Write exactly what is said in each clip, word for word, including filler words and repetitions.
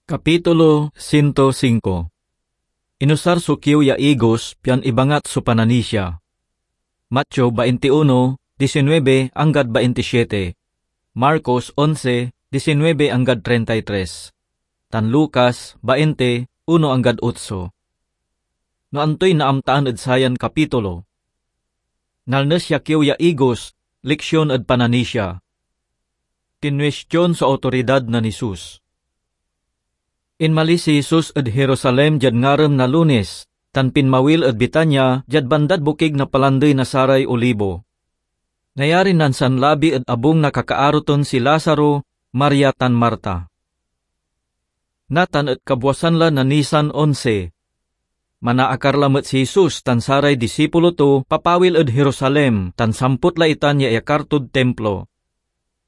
Kapitulo ciento cinco. Inusar so kiew ya igos pian ibangat so pananisia. Mateo twenty-one, diecinuebe anggad twenty-siete, Marcos once, diecinuebe anggad treinta y tres, tan Lucas twenty, uno anggad otso. No antoy naamtaan ed sayan kapitulo? Nalnes ya kiew ya igos, leksion ed pananisia. Kinwestion so awtoridad nen Jesus. Inmalis si Jesus ed Jerusalem diad ngarem na Lunes, tan pinmawil ed Betania diad bandad bokig na Palandey na saray Olibo. Nayarin nansanlabi ed abung na kakaaro ton si Lazaro, Maria, tan Marta. Natan et kabuasan la na Nisan onse. Manaakar lamet si Jesus tan saray disipulo to papawil ed Jerusalem, tan sampot la itan ya iyakar tod Timplo.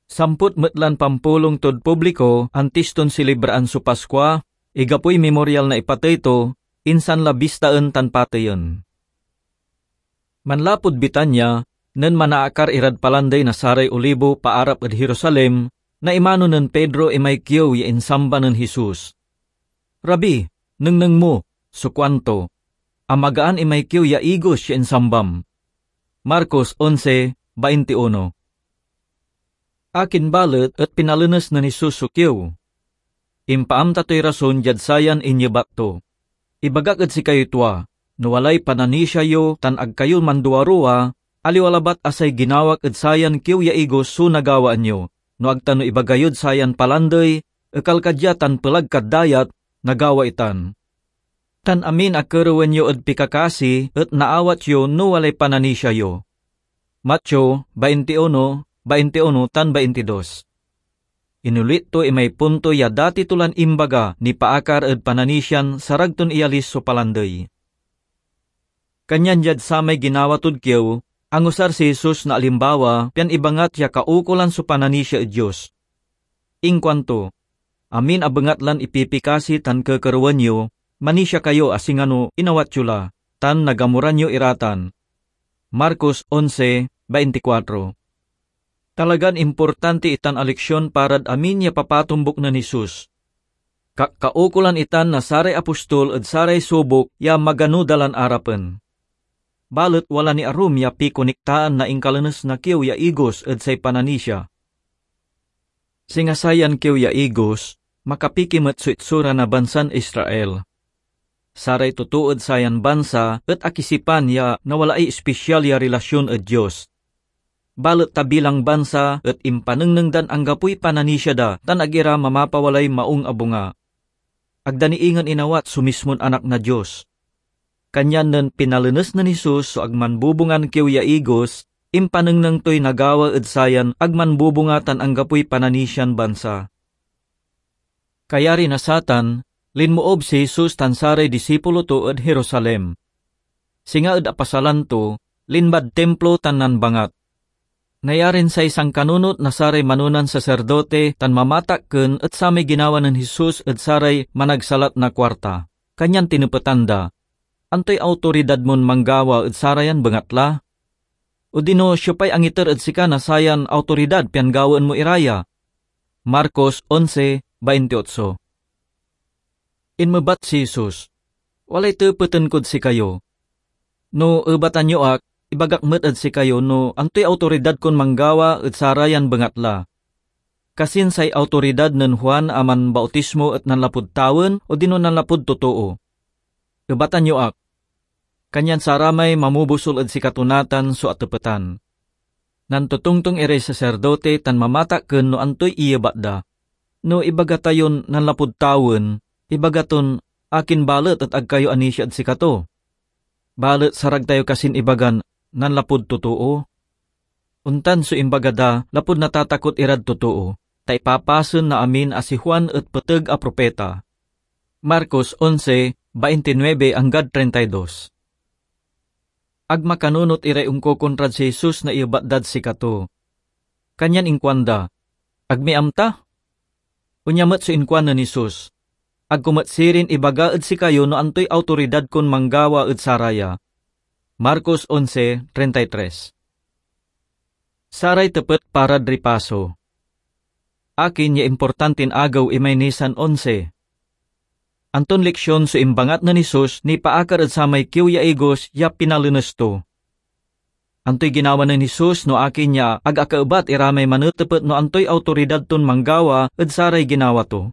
Sampot met lan pampulong tod publiko antis ton silibraan so Paskua, igapoy Mimoryal na ipatey to, insan la bistaen tan pateyen. Manlapud Betania, nen manaakar irad Palandey na saray Olibo paarap ed Jerusalem, naimano nen Pedro imay kiew ya insamba nen Jesus. "Rabi, nengneng mo," so kuanto, "amagaan imay kiew ya igos ya insambam." Marcos onse, baintiuno. Akin balet et pinalenes nen Jesus so kiew? Impaamta toy rason diad sayan inyebat to. "Ibagak ed sikayoy tua, no walay pananisia yo tan ag kayo manduaruwa, aliwa labat a say ginawak ed sayan kiew ya igos so nagawaan yo, no ag ta no ibaga yod sayan palandey, 'Ekal ka dia tan pelag kad dayat,' nagawa itan. Tan amin a kerewen yo ed pikakasi et naawat yo no walay pananisia yo." Mateo twenty-one, twenty-one tan twenty-dos. Inulit to imay punto ya dati to lan imbaga nipaakar ed pananisian sarag ton iyalis so palandey. Kanyan diad samay ginawa tod kiew, angusar si Jesus na alimbawa pian ibangat ya kaukolan so pananisia ed Dios. Inkuanto, "Amin a bengatlan ipipikasi tan kekerewen yo, manisia kayo a singano inawat yo la, tan nagamuran yo ira tan." Marcos onse, baintikwatro. Talagan importanti itan a leksion parad amin ya papatombuk nen Jesus. Kakkaukolan itan na saray apostol ed saray subok ya magano da lan arapen. Balet wala ni arum ya pikonektaan na inkalenes na kiew ya igos ed say pananisia. Singa sayan kiew ya igos, makapiki met so itsura na bansan Israel. Saray totoo ed sayan bansa et akisipan ya nawalaay espesial ya relasyon ed Dios. Balet ta bilang bansa et impanengneng dan anggapoy pananisia da tan ag ira mamapawalay maung a bunga. Ag da ni ingen inawat so mismon Anak na Dios. Kanyan nen pinalenes nen Jesus so ag manbubungan kiew ya igos, impanengneng toy nagawa ed sayan ag manbubunga tan anggapoy pananisian bansa. Kayari na satan, linmoob si Jesus tan saray disipulo to ed Jerusalem. Singa ed apasalan to, linmad Timplo tan nanbangat. Nayarin say sankanunot na saray manonan saserdote tan mamatakken et samay ginawa nen Jesus et saray managsalat na kuarta, kanyan tinepetan da, "Antoy awtoridad mon manggawa ed sarayan bengatla? Odino siopay angiter ed sika na sayan awtoridad pian gawaen mo ira ya?" Marcos onse, baintiotso. Inmebat si Jesus, "Walay tepeten kod sikayo. No ebatan yo ak, ibagak met ed sikayo no antoy awtoridad kon manggawa ed sarayan bengatla. Kasin say awtoridad nen Juan a Manbautismo et nanlapud tawen odino nanlapud totoo? Ebatan yo ak." Kanyan saramay mamobusol ed sikato natan so atepetan. Nantotongtong iray saserdote tan mamatakken no antoy iyebat da. "No ibaga tayon nanlapud tawen, ibaga ton, 'Akin balet et ag kayo anisia ed sikato?' Balet sarag tayo kasin ibagan, 'Nanlapud totoo'?" Ontan so imbaga da lapud natatakot irad totoo, ta ipapasen na amin a si Juan et peteg a propeta. Marcos onse, baintinuebe anggad treinta y dos. Ag makanunot iray onkokontrad si Jesus na iyebat dad sikato. Kanyan inkuanda, "Ag mi amta." Onya met so inkuan nen Jesus, "Ag ko met sirin ibaga ed sikayo no antoy awtoridad kon manggawa ed saraya." Marcos onse, treinta y tres. Saray tepet parad ripaso. Akin ya importantin agew imay Nisan onse? Anton leksion so imbangat nen Jesus nipaakar ed samay kiew ya igos ya pinalenes to? Antoy ginawa nen Jesus no akin ya ag akaebat ira may manetepet no antoy awtoridad ton manggawa ed saray ginawa to?